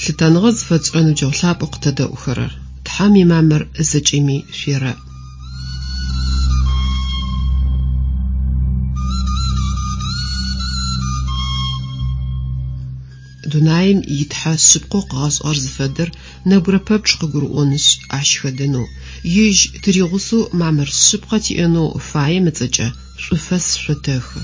Лъытэныгъэ зыфэтшӏырэ ныбджэгъу лъапӏэу къытэдэӏухэрэр, Тхьэм имамыр зэкӏэми шъуерэӏ. Дунаим и Тхьэ шъыпкъэу къыгъэшӏыгъэр зыфэдэр нэбгырэ пэпчъ къыгурыӏонышъ, ащ хэдэнэу, ежь тыригъусэу мамыр шъыпкъэ тиӏэнэу фаем ыцӏэкӏэ шӏуфэс шъотэхы.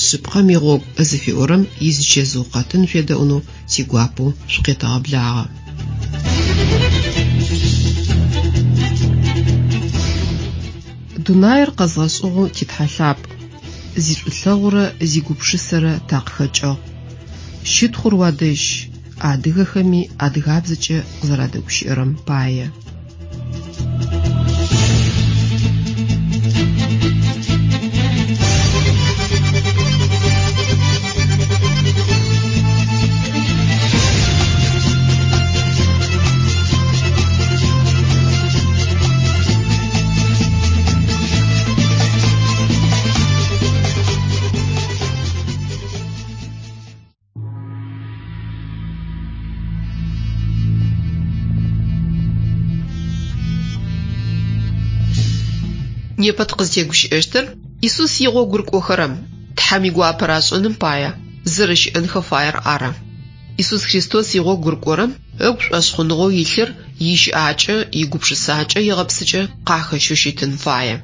Шъыпкъэм игъогу зыфиӏорэм изычэзыу къэтын шъуедэӏунэу тигуапэу шъукъетэгъэблагъэ. Дунаир къэзгъэшӏыгъэу ти Тхьэ лъапӏ, зишӏулъэгъурэ зигупшысэрэ такъыхэкӏыгъ. Щытхъур уадэжь, адыгэхэми адыгабзэкӏэ къызэрадэгущыӏэрэм пае. Непэ тыкъызтегущыӏэщтыр Исус игъогу рыкӏохэрэм Тхьэм игуапэ рашӏэным пае зэрэщыӏэнхэ фаер ары. Исус Христос игъогу рыкӏорэм ыгу шӏошъхъуныгъэу илъыр ищыӏакӏэ, игупшысакӏэ, игъэпсыкӏэ къахэщэу щытын фае.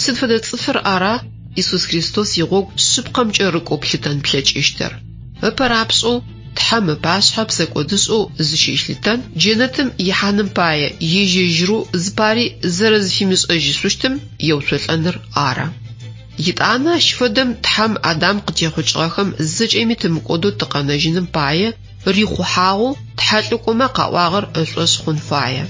Сыд фэдэ цӏыфыр ара Исус Христос игъогу шъыпкъэмкӏэ рыкӏоу плъытэн плъэкӏыщтыр? Ыпэ рапшӏэу Тхьэм ыпашъхьэ псэкӏодышӏэу зыщилъытэн, джэнэтым ихьаным пае ежь-ежьырэу зыпари зэрэзыфимышӏэжьышъущтым еуцолӏэныр ары. Етӏанэ ащ фэдэм Тхьэм Адам къытехъукӏыгъэхэм зэкӏэми тымыкӏодэу тыкъэнэжьыным пае рихъухьагъэу тхьэлӏыкӏомэ къаӏуагъэр ышӏошъ хъун фае.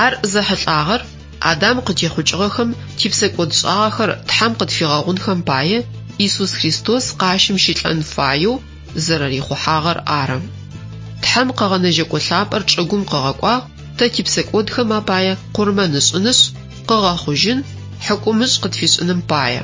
Ар зэхьылӏагъэр Адам къытехъукӏыгъэхэм типсэкӏодшӏагъэхэр Тхьэм къытфигъэгъунхэм пае Исус Христос къащым щылӏэн фаеу зэрэрихъухьагъэр ары. Тхьэм Къэгъэнэжьэкӏо лъапӏэр чӏыгум къыгъэкӏуагъ тэ типсэкӏодхэм апае къурмэн ышӏынышъ, къыгъэхъужьын, хьыкумышӏ къытфишӏыным пае.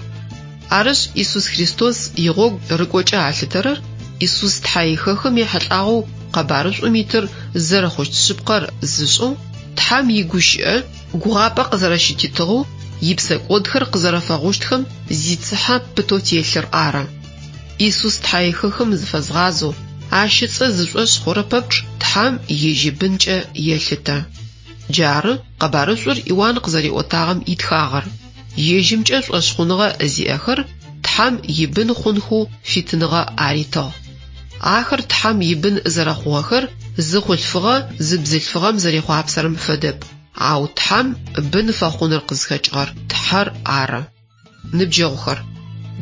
Арышъ, Исус Христос игъогу рыкӏокӏэ алъытэрэр Исус тхьэихэхым ехьылӏагъэу къэбарышӏум итыр зэрэхъущт шъыпкъэр зышӏэу, Тхьэм игущыӏэ гугъапӏэ къызэрэщытитыгъэу, ипсэкӏодхэр къызэрэфэгъущтхэм зицыхьэ пытэу телъыр ары. Исус тхьэихэхым зыфэзгъазэу, ащ ыцӏэ зышӏошъ хъурэ пэпчъ Тхьэм ежь ибынкӏэ елъытэ. Джары къэбарышӏур Иуан къызэриӏотагъэм итхагъэр. Ежьымкӏэ шӏошъхъуныгъэ зиӏэхэр Тхьэм ибын хъунхэу фитыныгъэ аритыгъ. Ахэр Тхьэм ибын зэрэхъугъэхэр зы хъулъфыгъэ зы бзылъфыгъэм зэрехъуапсэрэм фэдэп, ау Тхьэм бын фэхъуныр къызхэкӏыгъэр Тхьэр ары. Ныбджэгъухэр,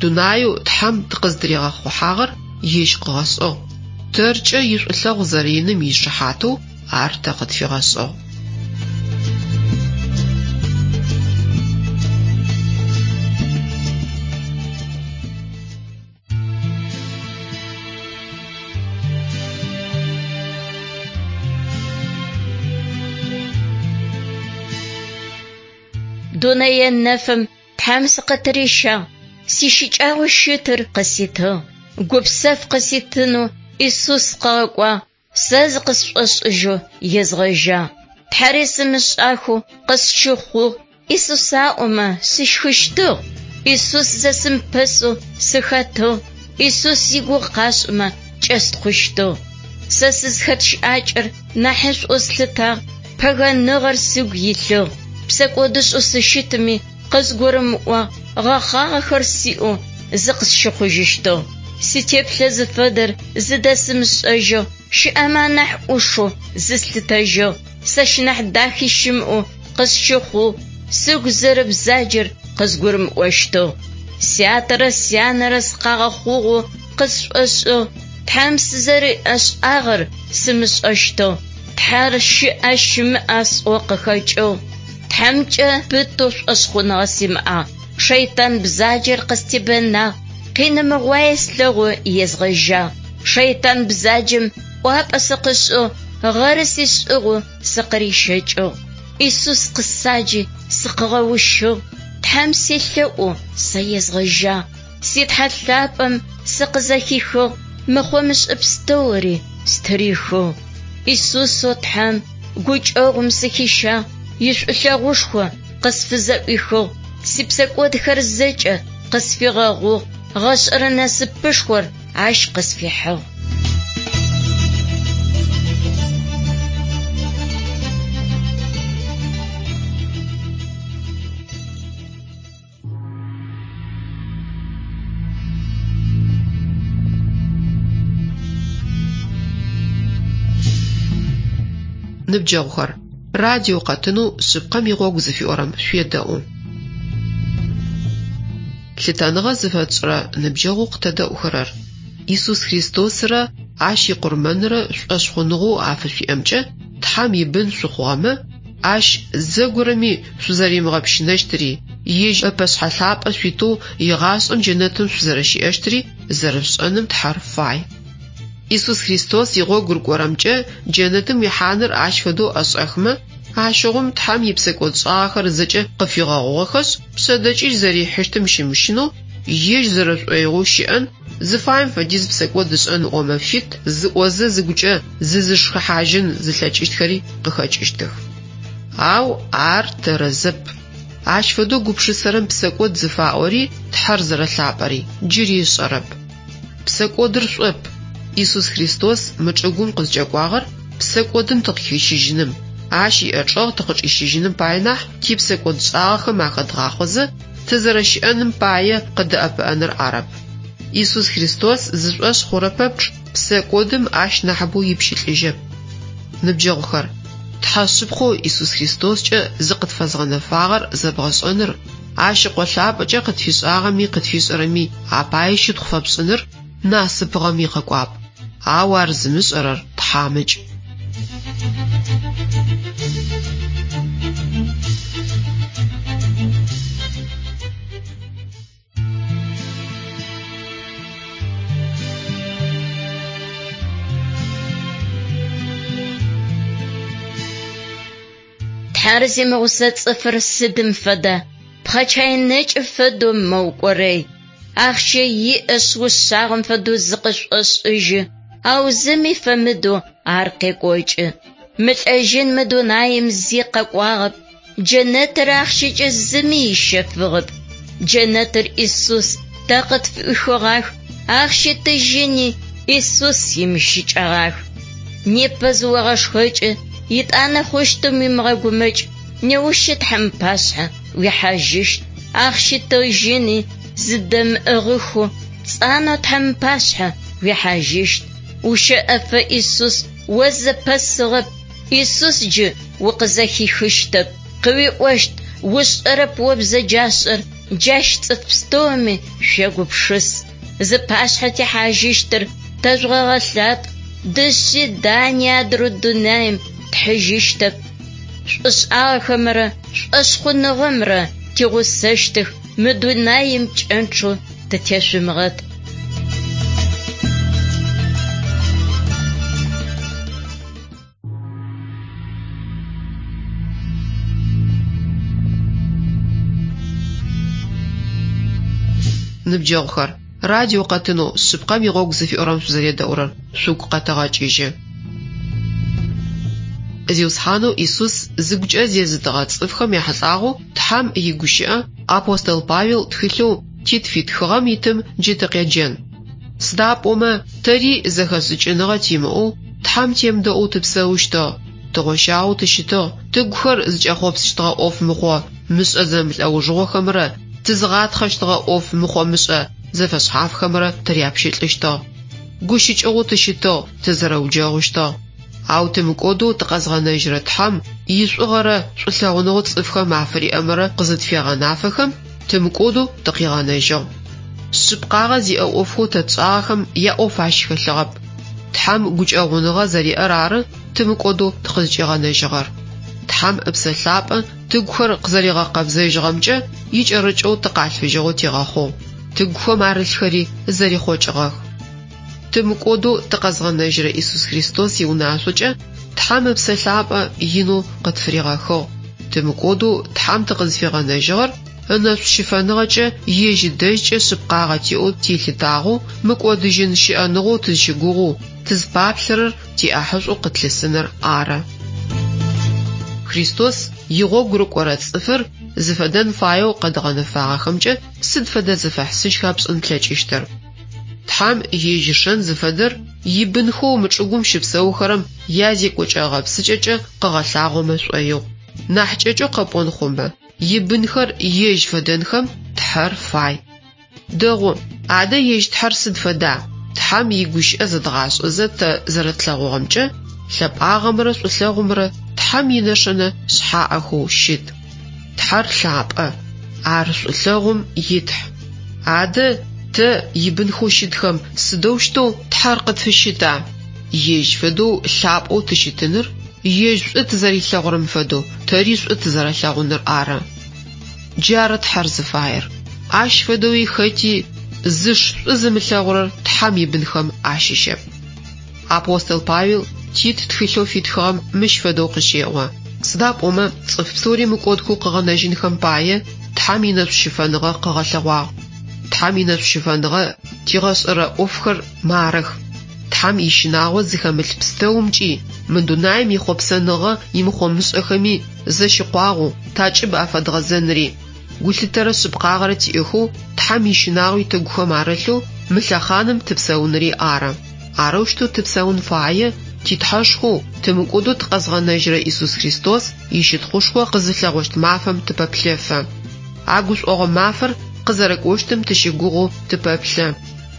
дунаеу Тхьэм тыкъыздыригъэхъухьагъэр Ежь къыгъэшӏыгъ, тэркӏэ ишӏулъэгъу зэрэиным ишыхьатэу ар тэ къытфигъэшӏыгъ. Дунэе нэфым Тхьэм сыкъытырищагъ, сищыкӏагъэу щытыр къыситыгъ, гупсэф къыситынэу Исус къыгъэкӏуагъ, сэ зыкъысшӏошӏыжьэу езгъэжьагъ. Тхьэри сымышӏахэу къысщыхъугъ, Исус аӏомэ, сыщхыщтыгъ. Исус зэсымыпэсэу сыхэтыгъ, Исус игугъу къашӏымэ, кӏэстхъущтыгъ. Сэ сызхэт щыӏакӏэр нахьышӏоу слъытагъ, пэгэныгъэр сыгу илъыгъ. Псэкӏодышӏэу сыщытми, къызгурымыӏуагъ, гъэхъагъэхэр сиӏэу зыкъысщыхъужьыщтыгъ. Ситеплъэ зыфэдэр зыдэсымышӏэжьыгъ, щыӏэмэ анахь ӏушэу зыслъытэжьыгъ. Сэщ нахь дахи щымыӏэу къысщыхъугъ, сыгу зэрэбзаджэр къызгурымыӏощтыгъ. Сятэрэ сянэрэ сыкъагъэхъугъэу къысшӏошӏыгъ, Тхьэм сызэриӏэшӏагъэр сымышӏэщтыгъ. Тхьэр щыӏэ щымыӏэ сӏоу къыхэкӏыгъ. Тхьэмкӏэ пытэу шӏошъхъуныгъэ симыӏагъ. Шэйтан бзаджэр къыстебэнагъ, къинымыгъуае слъэгъоу езгъэжьагъ. Шэйтан бзаджэм ӏуапӏэ сыкъышӏыгъ, гъэры сишӏыгъэу сыкъырищэкӏыгъ. Исус къысаджи, сыкъыгъэущыгъ. Тхьэм селъэӏоу сэ езгъэжьагъ. Си Тхьэ лъапӏэм сыкъызэхихыгъ, мыхъо-мышӏэ пстэури стырихыгъ. Исусэу Тхьэм гукӏэгъум сыхищагъ, ишӏулъэгъушхо къысфызэӏуихыгъ, сипсэкӏодхэр зэкӏэ къысфигъэгъугъ, гъэшӏэрэ насыпышхор ащ къысфихьыгъ. Ныбджэгъухэр, радио къэтынэу Шъыпкъэм игъогу зыфиӏорэм шъуедэӏу. Лъытэныгъэ зыфэтшӏырэ ныбджэгъоу къытэдэӏухэрэр, Исус Христосрэ Ащ икъурмэнрэ шӏошъхъуныгъэу афышъуиӏэмкӏэ Тхьэм ибын шъухъугъэмэ, Ащ зэгорэми шъузэримыгъэпщынэщтыри, Ежь ыпэшъхьэ лъапӏэ шъуитэу игъашӏэм джэнэтым шъузэрэщиӏэщтыри зэрэшъушӏэным Тхьэр фай. Исус Христос игъогу рыкӏорэмкӏэ джэнэтым уихьаныр ащ фэдэу ӏэшӏэхмэ, ащыгъум Тхьэм ипсэкӏодшӏагъэхэр зэкӏэ къыфигъэгъугъэхэшъ, пшъэдэкӏыжь зэрихьыщтым щымыщынэу, ежь зэрэшӏоигъоу щыӏэн, зыфаем фэдиз псэкӏод ышӏэн ыӏомэ фит, зыӏозэ зыгукӏэ зызышхыхьажьын зылъэкӏыщтхэри къыхэкӏыщтых. Ау ар тэрэзэп. Ащ фэдэу гупшысэрэм псэкӏод зыфаӏори Тхьэр зэрэлъапӏэри джыри ышӏэрэп. Псэкӏодыр шӏоп. Исус Христос мы чӏыгум къызкӏэкӏуагъэр псэкӏодым тыкъыхищыжьыным, Ащ иӏэчӏэгъ тыкъычӏищыжьыным пае нахь типсэкӏодшӏагъэхэм ахэдгъахъозэ тызэрэщыӏэным пае къыдэӏэпыӏэныр арэп. Исус Христос зышӏошъ хъурэ пэпчъ псэкӏодым ащ нахьыбэу ипщылӏыжьэп. Ныбджэгъухэр, Тхьэ шъыпкъэу Исус Христоскӏэ зыкъытфэзгъэнэфагъэр зэбгъэшӏэныр, Ащ Ыкъо лъапӏэкӏэ къытфишӏагъэми къытфишӏэрэми апае щытхъу фэпшӏыныр насыпыгъэм икъэкӏуапӏ. Ау ар зымышӏэрэр тхьамыкӏ. Тхьэр зимыгъусэ цӏыфыр сыдым фэда? Пхъэчай нэкӏы фэдэу мэукӏорэй. Ахъщэ иӏэшъ ушъагъэм фэдэу зыкъышӏошӏыжьы, ау зыми фэмыдэу ар къекӏокӏы. Мылӏэжьын мы дунаим зи къэкӏуагъэп, джэнэтыр ахъщэкӏэ зыми ыщэфыгъэп. Джэнэтыр Исус тэ къытфыӏуихыгъах, ахъщи тыжьыни Исус имыщыкӏэгъах. Непэ зыогъэшхэкӏы, етӏанэ хъущтым уимыгъэгумэкӏ, неущы Тхьэм ыпашъхьэ уихьажьыщт. Ахъщи тыжьыни зыдэмыӏыгъыхэу пцӏанэу Тхьэм ыпашъхьэ уихьажьыщт. Ущэӏэфэ Исус о зэпэсыгъэп, Исус джы укъызэхихыщтэп, къыуиӏощт, Ушӏэрэп о бзэджашӏэр, джащ цӏыф пстэуми шъуегупшыс. Зыпашъхьэ тихьажьыщтыр тэжъугъэгъэлъапӏ, дышъи дани адрэ дунаим тхьыжьыщтэп. Шӏушӏагъэхэмрэ шӏошъхъуныгъэмрэ тигъусэщтых, мы дунаим пкӏэнчъэу тытешъумыгъэт. Ныбджэгъухэр, радио къэтынэу Шъыпкъэм игъогу зыфиӏорэм шъузэредэӏурэр шъугу къэтэгъэкӏыжьы. Зиусхьанэу Исус зыгукӏэ зезытыгъэ цӏыфхэм яхьылӏагъэу Тхьэм игущыӏэ апостол Павел тхылъэу Тит фитхыгъэм итым джы тыкъеджэн. Сыда пӏомэ тэри зэхэшӏыкӏыныгъэ тимыӏэу Тхьэм темыдэӏоу тыпсэущтыгъ, тыгъощагъэу тыщытыгъ, тыгухэр зыкӏэхъопсыщтыгъэ ӏоф мыхъо мышӏэ зэмылӏэужыгъохэмрэ тызыгъатхъэщтыгъэ ӏоф мыхъо-мышӏэ зэфэшъхьафхэмрэ тыряпщылӏыщтыгъ. Гущыкӏыгъэу тыщытыгъ, тызэрэуджэгъущтыгъ. Ау тымыкӏодэу тыкъэзгъэнэжьырэ Тхьэм ишӏугъэрэ шӏулъэгъуныгъэу цӏыфхэм афыриӏэмрэ къызытфегъэнафэхэм, тымыкӏодэу тыкъигъэнэжьыгъ. Шъыпкъагъэ зиӏэ ӏофхэу тэ тшӏагъэхэм яӏоф ащ хэлъыгъэп. Тхьэм гукӏэгъуныгъэ зэриӏэр ары тымыкӏодэу тыкъызкӏигъэнэжьыгъэр. Тхьэм Ыпсэ Лъапӏэ тыгухэр къызэригъэкъэбзэжьыгъэмкӏэ икӏэрыкӏэу тыкъалъфыжьыгъэу тигъэхъугъ, тыгухэм арылъхэри зэрихъокӏыгъэх. Тымыкӏодэу тыкъэзгъэнэжьырэ Исус Христос иунашъокӏэ Тхьэм Ыпсэ Лъапӏэ инэу къытфыригъэхыгъ. Тымыкӏодэу Тхьэм тыкъызфигъэнэжьыгъэр ынэшӏу щыфэныгъэкӏэ ежь ыдэжькӏэ шъыпкъагъэ тиӏэу тилъытагъэу, мыкӏодыжьын щыӏэныгъэу тызщыгугъэу, тызпаплъэрэр тиӏахьышӏоу къытлъысыныр ары. Христос игъогу рыкӏорэ цӏыфыр зыфэдэн фаеу къэдгъэнэфагъэхэмкӏэ сыд фэдэ зэфэхьысыжьха пшӏын плъэкӏыщтыр? Тхьэм ежь ишэн зыфэдэр ибынхэу мы чӏыгум щыпсэухэрэм язекӏокӏэ-гъэпсыкӏэкӏэ къыгъэлъагъомэ шӏоигъу. Нахь кӏэкӏэу къэпӏон хъумэ, ибынхэр ежь фэдэнхэм Тхьэр фай. Дэгъу, адэ ежь Тхьэр сыд фэда? Тхьэм игущыӏэ зэдгъашӏэзэ тэ зэрэтлъэгъугъэмкӏэ, лъэпӏагъэмрэ шӏулъэгъумрэ Тхьэм инэшэнэ шъхьаӏэхэу щыт. Тхьэр лъапӏэ, ар шӏулъэгъум итхь. Адэ, тэ, ибынхэу щытхэм, сыдэущтэу Тхьэр къытфыщыта? Ежь фэдэу лъапӏэу тыщытыныр, ежь шӏу тызэрилъэгъурэм фэдэу тэри шӏу тызэрэлъэгъуныр ары. Джары Тхьэр зыфаер. Ащ фэдэуи хэти зыш шӏу зымылъэгъурэр Тхьэм ибынхэм ащыщэп. Апостол Павел Тит тхылъэу фитхыгъэм мыщ фэдэу къыщеӏо, Сыда пӏомэ цӏыф пстэури мыкӏодхэу къыгъэнэжьынхэм пае Тхьэм инэшӏущыфэныгъэ къыгъэлъэгъуагъ. Тхьэм инэшӏущыфэныгъэ тигъэшӏэрэ ӏофхэр марых. Тхьэм ищынагъо зыхэмылъ пстэумкӏи, мы дунаим ихъопсэныгъэ имыхъо-мышӏэхэми зэщыкъуагъэу такӏыб афэдгъэзэнри, гулъытэрэ шъыпкъагъэрэ тиӏэхэу Тхьэм ищынагъуи тыгухэм арылъэу мы лъэхъаным тыпсэунри ары. Арэущтэу тыпсэун фае ти Тхьэшхоу, тымыкӏодэу тыкъэзгъэнэжьырэ Исус Христос ищытхъушхо къызылъэгъощт мафэм тыпэплъэфэ. А гушӏогъо мафэр къызэрэкӏощтым тыщыгугъэу тыпэплъэ.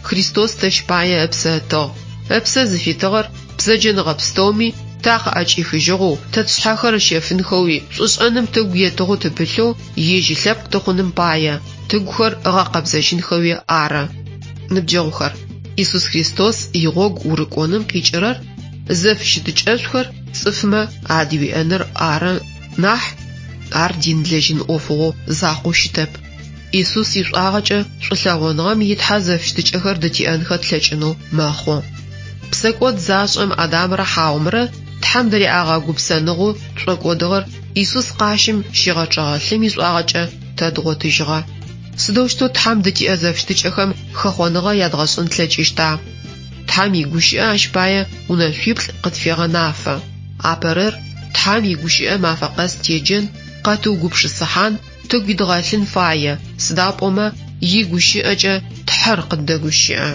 Христос тэщ пае ыпсэ ытыгъ. Ыпсэ зыфитыгъэр бзэджэныгъэ пстэуми такъыӏэкӏихыжьыгъэу, тэ тшъхьэхэр ыщэфынхэуи, шӏушӏэным тыгу етыгъэу тыпылъэу ежь ылъэпкъ тыхъуным пае, тыгухэр ыгъэкъэбзэжьынхэуи ары. Ныбджэгъухэр, Исус Христос игъогу урыкӏоным къикӏырэр зэфыщытыкӏэшӏухэр цӏыфмэ адыуиӏэныр ары нахь, ар динлэжьын ӏофыгъо закъоу щытэп. Исус ишӏуагъэкӏэ шӏулъэгъуныгъэм и Тхьэ зэфыщытыкӏэхэр дытиӏэнхэ тлъэкӏынэу мэхъу. Псэкӏод зашӏэм Адамрэ Хьаомрэ Тхьэм дыриӏагъэ гупсэныгъэу тшӏокӏодыгъэр Исус къащым щигъэчъэгъэ лъым ишӏуагъэкӏэ тэ дгъотыжьыгъэ. Сыдэущтэу Тхьэм дытиӏэ зэфыщытыкӏэхэм хэхъоныгъэ ядгъэшӏын тлъэкӏыщта? Тхьэм игущыӏэ ащ пае унэшъуиплӏ къытфегъэнафэ. Апэрэр, Тхьэм игущыӏэ мафэ къэс теджэн, къэтыугупшысыхьан, тыгу идгъэлъын фае, сыда пӏомэ игущыӏэкӏэ Тхьэр къыддэгущыӏэ.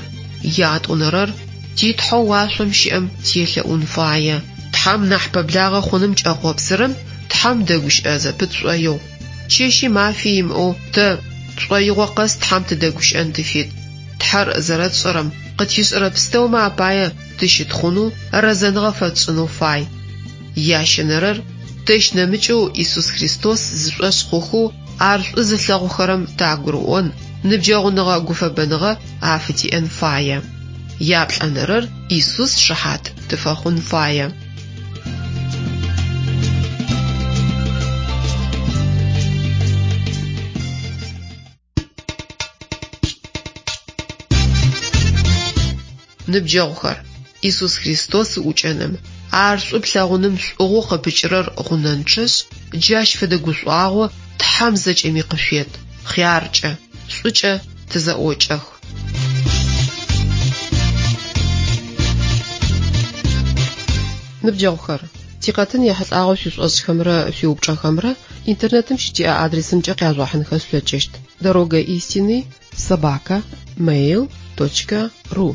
Ятӏонэрэр, ти Тхьэу уашъом щыӏэм телъэӏун фае. Тхьэм нахь пэблагъэ хъуным кӏэхъопсырэм Тхьэм дэгущыӏэ зэпыт шӏоигъу. Чэщи мафи имыӏэу тэ тшӏоигъо къэс Тхьэм тыдэгущыӏэн тыфит. Тхьэр зэрэтшӏэрэм, къытишӏэрэ пстэумэ апае тыщытхъунэу, рэзэныгъэ фэтшӏынэу фай. Ящэнэрэр, тэщ нэмыкӏэу Исус Христос зышӏошъ хъухэу ар шӏу зылъэгъухэрэм тагурыӏон, ныбджэгъуныгъэ-гуфэбэныгъэ афытиӏэн фае. Яплӏэнэрэр, Исус шыхьат тыфэхъун фае. Ныбджэгъухэр, Исус Христос уӏукӏэным, ар шӏу плъэгъуным шӏугъэу къыпыкӏырэр гъунэнчъэшъ, джащ фэдэ гушӏуагъо Тхьэм зэкӏэми къышъует, хъяркӏэ, шӏукӏэ тызэӏокӏэх. Ныбджэгъухэр, тикъэтын ехьылӏагъэу шъуишӏошӏхэмрэ шъуиупчӏэхэмрэ интернетым щытиӏэ адресымкӏэ къяжъугъэхьынхэ шъулъэкӏыщт: Дорога истины собака mail точка ру.